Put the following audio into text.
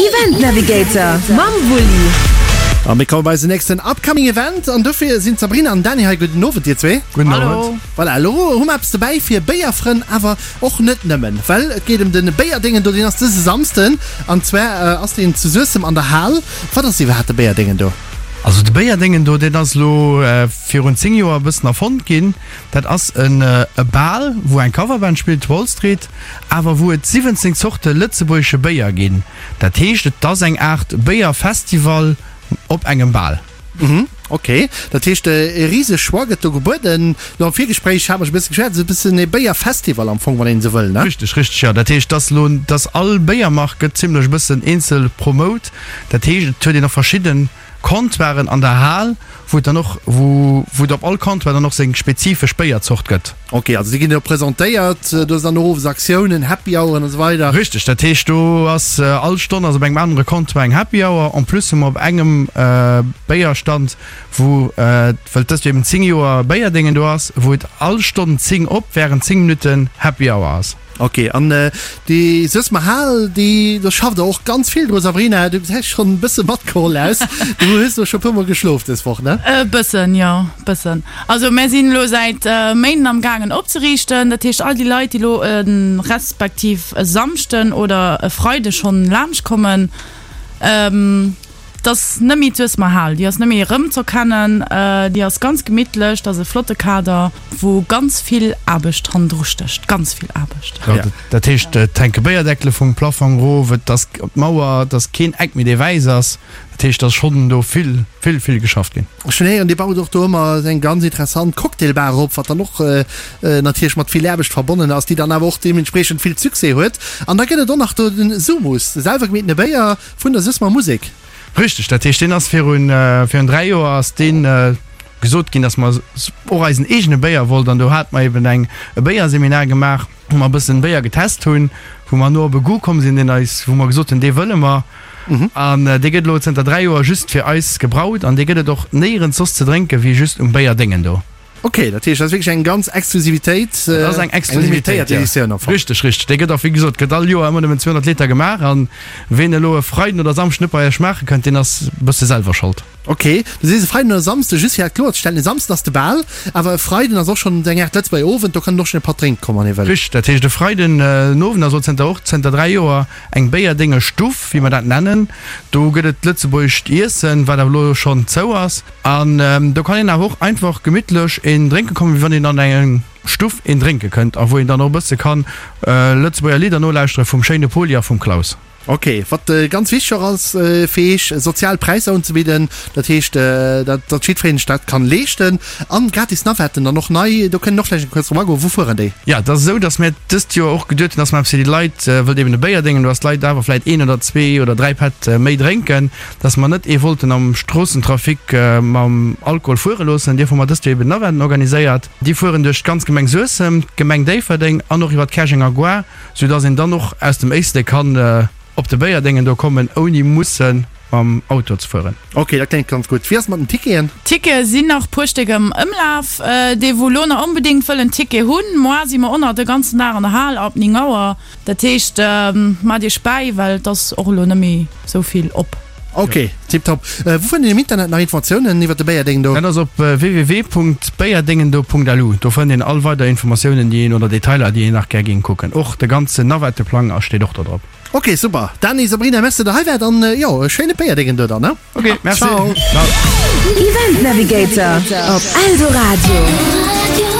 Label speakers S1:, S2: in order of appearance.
S1: Event Navigator mam Wulli.
S2: A mir komme bei eisen nächsten upcoming Event an dofir sinn d'Sabrina an Dany hei. Gudden Owend dir zwee.
S3: Gudden Owend.
S2: Voilà, elo hu mer eppes dobäi fir Béierfrënn, awer och net nëmmen, well et geet ëm de Béierdéngen do. Deen ass dëse Samsden an zwar ass deen zu Suessem an der Hal. Wat ass iwwerhaapt de Béierdéngen do?
S3: Also de Béierdéngen do, deen ass elo virun 10 Joer e bëssen erfonnt ginn. Dat ass en e Bal, wou eng Coverband spillt, Wall Street, awer wou et 17 Zorte lëtzebuergesche Béier ginn. Dat heescht, et ass eng Aart Béierfestival op engem Bal.
S2: Mhm, ok. Dat heescht, e riseg Choix gëtt do gebueden. Lo am Virgespréich hate mer scho e bësse geschwat, et ass e bëssen e Béierfestival am Fong, wann een esou wëll, ne?
S3: Richteg, richteg, jo. Dat heescht, dass elo, dass all Béiermark gëtt zimlech e bëssen eenzel promout. Dat heescht, et huet een och verschidden Comptoiren an der Hal, wou et dann och, wou, wou et op all Comptoir dann och seng spezifesch Béierzort gëtt.
S2: Ok, also déi ginn do presentéiert, do ass dann och owes Aktiounen, Happy Houren an esou weider.
S3: Richteg, dat heescht do ass all Stonn ass op engem anere Comptoir eng Happy Hour. En plus hu mer op engem Béierstand, wou, well dëst Joer eben 10 Joer Béierdéngen do ass, wou et all Stonn 10 op während 10 Minutten Happy Hour ass.
S2: Ok, an déi Suessemer Hal, déi, do schafft der och ganz vill dru. Sabrina, du gesäis schonn e bësse matgeholl aus. Du hues do scho puer mol geschlof dës Woch, ne?
S4: E bëssen, jo, bëssen. Also mär sinn elo säit Méinden am gaangen opzeriichten. Dat heescht all déi Leit, déi elo e respektiv e Samschden oder e Freide schonn laanscht kommen, Et ass net méi d'Suessemer Hal, déi ass net méi erëmz'erkennen. Déi ass ganz gemittlech, dat ass e flotte Kader, wou ganz vill Aarbecht hannendru stécht, ganz vill Aarbecht.
S3: Jo, dat heescht, et hänke Béierdeckele vum Plaffong erof, et ass op d'Mauer, et ass keen Eck méi, dee wäiss ass. Dat heescht, et ass schonn do vill, vill, vill geschafft ginn.
S2: Ech hunn héieren, Dir baut och do ëmmer eng ganz interessant Cocktailbar op, wat dann och natierlech mat vill Aarbecht verbonnen ass, déi dann awer och deementspriechend vill Succès huet. An da gëtt et och nach do den Sumus, de selwer gemeetene Béier. Vun der Suessmer Musek.
S3: Richteg, dat heescht deen ass virun virun 3 Joer ass deen gesot ginn, datt mer och eisen eegene Béier wollt an do hate mer eben eng e Béierseminar gemaach, wou mer e bëssen Béier getest hunn, wou mer no op e Goût komm sinn, deen eis, wou mer gesot hunn, dee wëlle mer. An dee gëtt elo zënter 3 Joer just fir eis gebraut an dee gëtt et och néierens soss ze drénke wéi just um Béierdéngen do.
S2: Ok, dat heescht, dat ass wierklech eng ganz Exklusivitéit,
S3: Dat ass eng Exklusivitéit, ja. Editioun am Fong. Richteg, richteg. Déi gëtt och, wéi gesot, gëtt all Joer ëmmer nëmmen 200 Liter gemaach an ween elo e Freiden oder Samschden net bei eis schmaache kënnt, deen ass e bësse selwer Schold.
S2: Ok, du sees e Freiden oder Samsden, just fir dat kloerzestellen, e Samsden ass de Bal, awer e Freiden ass och schonn eng Aart Lëtzebuerger Owend, do kann een och schonn e Patt drénke kommen, wann ee wëll.
S3: Richteg, dat heescht e Freiden den Owend ass och zënter och zënter 3 Joer eng Béierdénge Stuff, wéi mer dat nennen. Do gëtt et lëtzebuergescht Iessen, wat awer elo schonn zou ass. An do kann een awer och einfach gemittlech een drénke kommen, wéi wann een an eng Stuff een drénke kënnt a wou een dann och e bësse kann Lëtzebuerger Lidder nolauschtere vum schéine Poli a vum Klaus.
S2: Ok, wat ganz wichteg och ass fir Iech, sozial Präisser unzebidden, dat heescht, datt jiddwereen sech dat kann leeschten. An gratis Navetten dann och nei, do kënnt een och vläicht eng kuerz drop agoen. Wou fueren déi?
S3: Jo, et ass esou, datt mir dëst Joer och geduet hunn, datt mer eppes fir déi Leit, wëllt eben e Béier déngen, do ass d'Leit awer vläicht een oder zwee oder dräi Pätt méi drénken, dass mer net ee wollten am Stroossentrafic mam Alkohol fuere loossen. Dierf hu mer dëst Joer eben Navetten organiséiert. Déi fueren duerch d'ganz Gemeng Suessem, d'Gemeng Déifferdeng an och iwwer d'Käerjenger Gare, sou dass een dann och aus dem Éislek kann op de Béierdéngen do kommen, ouni musse mam Auto ze fueren.
S2: Ok, dat kléngt ganz gutt. Wéi ass et mat den Ticketen?
S4: Tickete sinn nach puer Stéck am Ëmlaf. Déi wou elo nach onbedéngt wëllen Ticket hunn, moar si mer och nach de ganzen Dag an der Hal ab 9 Auer. Dat heescht, maacht iech bäi, well et ass och elo net méi sou vill op.
S2: Ok, tiptop. Wou fënnt een am Internet nach Informatiounen iwwer de Béierdéngendo?
S3: Dat ass op www.béierdéngendo.lu. Do fënnt een all weider Informatiounen, déi een, oder Detailer, déi een nach gär géing kucken. Och de ganzen Navetteplang ass steet och do drop.
S2: Ok, super. Dany, Sabrina, merci, datt der hei waart an jo, e schéine Béierdéngendo dann, ne?
S3: Ok, merci.
S2: Ciao.
S3: Ciao.
S1: Event Navigator op Eldoradio.